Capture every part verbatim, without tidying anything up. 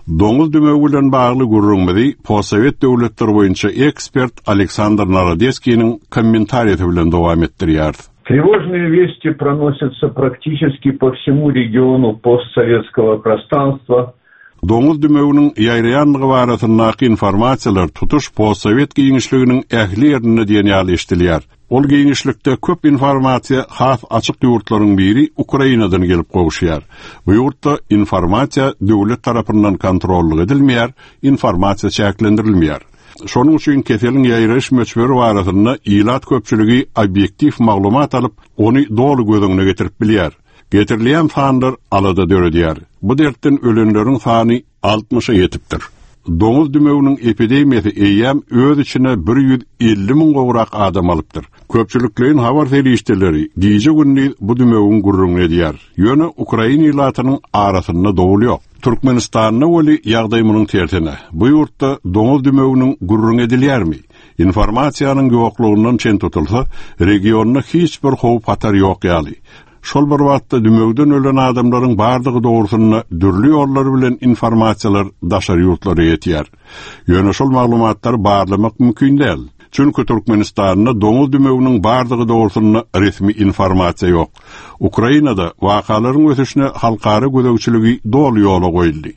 Доңуз дүмөгү менен баглуу гурруңмуди постсовет дöwletler боюнча эксперт Александр Народецкийнин комментарийи менен дowam ettirýär. Тревожные вести проносятся практически по всему региону постсоветского пространства. Доңуз дүмөгүнүн яйраянлыгы барасындагы информациялар туtuş постсовет кийинчилигинин ähli ýerine diýen ýaly eşdilýär. Ol kийинчиликde köp informasiýa has açyk ýurtlaryň biri Ukrainadan gelip gowuşýar. Bu ýurtda informasiýa döwlet tarapyndan kontrolly edilmeýär, informasiýa çäklendirilmeýär. Şonuň üçin keseliň ýaýraş möçberi barasynda ilat köpçüligi obyektiv maglumat alyp, ony dogry gözüňe getirip bilýär. Getirilýän sanlar alada döredýär. Bu dertten ölenleriň sany altmışa ýetipdir. Doňuz dümeginiň epidemiýasy eýýäm öz içine bir yüz elli min gowrak adam alypdyr. Köpçüliklerin habar ferişteleri diýje günni bu dümegiň gurrun edýär. Ýöne Ukraina ilatynyň arasynda dowul ýok. Türkmenistanyň weli ýagdaý munyň tertine. Bu ýurtda doňuz dümeginiň gurrun edilýärmi? Informasiýanyň ýoklugynyň çen tutulsa, regionda hiç bir howp hatar ýok ýaly. Şol bir wagtda dümegden ölen adamlaryň bardygy dogrusyna dürli ýollar bilen informasiýalar daşar ýurtlara ýetýär. Ýöne şol maglumatlar barlamak mümkin däl. Çünki Türkmenistanyň doňuz dümeginiň bardygy dogrusyna resmi informasiýa ýok. Ukrainada wakalaryň ösüşine halkara gödökçüligi dol ýola goýuldy.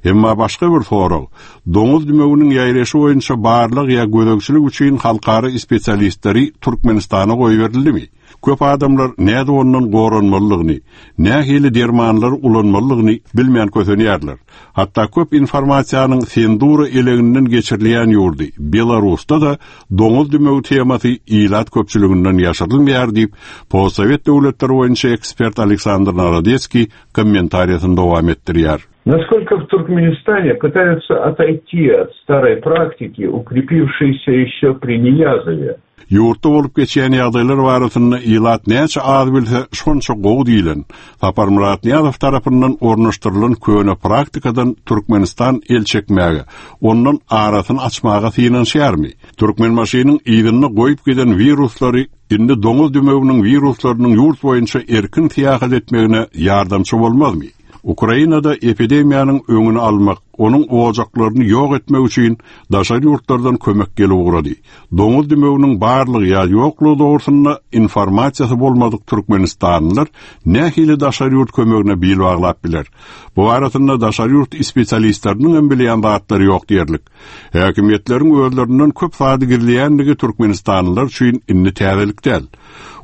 Emma başga bir sorag, doňuz dümeginiň ýaýraşy boýunça barlyk ýa gödökçülik üçin halkara spesialistleri Türkmenistana goýberildi. Köp adamlar näde ondan goranmalygyny, nähili dermanlar ulanmalygyny bilmeýän kösenýärler. Hatta köp informasiýanyň sendura eleginden geçirilýän ýurdy. Belarusda da doňuz dümegi temasy ilat köpçüliginden ýaşyrylmaýar diýip, postsovet döwletleri boýunça ekspert Александр Народецкий комментарийinde dowam etdirýär. Насколько в Туркменистане пытаются отойти от старой практики, укрепившейся еще при Ниязове. Ýurtda bolup geçýän ýagdaýlar barasynda ilat näçe az bilse şonça gowy diýilen. Sapar Murat Niýazow tarapyndan ornaşdyrylan köne praktikadan Türkmenistan el çekmäge, ondan arasyny açmaga synanşýarmy? Türkmen maşynyň ýygyny goýup giden wiruslary indi doňuz dümeginiň wiruslarynyň ýurt boýunça erkin tiýahat etmegine ýardamçy bolmazmy? Ukrainada epidemiýanyň öňüni almak, onun ojaklaryny ýok etmek üçin daşary ýurtlardan kömek gelip urady. Doňuz dümeginiň barlygy ýa ýoklugy dogrusyna informasiýasy bolmadyk Türkmenistanlylar nähili daşary ýurt kömegine bil baglap biler. Bu arasynda daşary ýurt spesialistleriniň hem bilýän zatlary ýok diýerlik. Häkimetleriň özlerinden köp fady girilýänligi Türkmenistanlylar üçin inni täzelik däl.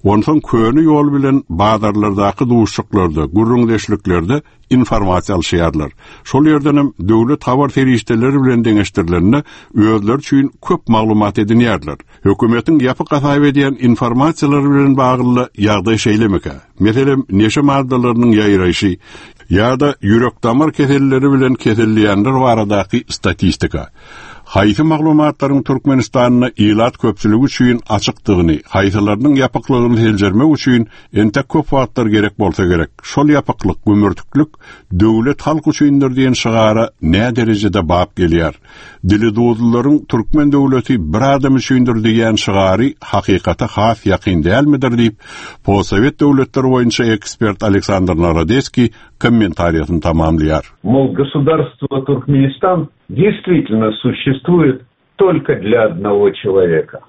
Ondan köni ýol bilen bazarlardaky duşuklarda, gurrundeşliklerde informasiýa alşýarlar. Şol ýerden hem döwlet habar ferişteleri bilen deňeşdirilende özleri üçin köp maglumat edinýärler. Hökümetiň ýapyk gasaýp edýän informasiýalary bilen bagly ýagdaý şeýlemeke. Meselem neşe maddalarynyň ýaýraşy ýa-da ýürek damar keselleri bilen keselliýänler baradaky statistika. Haýsy maglumatlaryň Türkmenistanyna ilat köpçüligi üçin açykdygyny, haýsylarynyň ýapyklygyny seljermek üçin entek köp wagtlar gerek bolsa gerek. Şol ýapyklyk, gömürtüklük döwlet halk üçindir diýen şygara nä derejede bap gelýär. Dili dowlaryň Türkmen döwleti bir adam üçindir diýen şygary hakykata has ýakyn dälmidir diýip, postsovet döwletleri boýunça ekspert Александр Народецкий комментарийин tamamlaýar. Мол, государство Туркменистан действительно существует только для одного человека.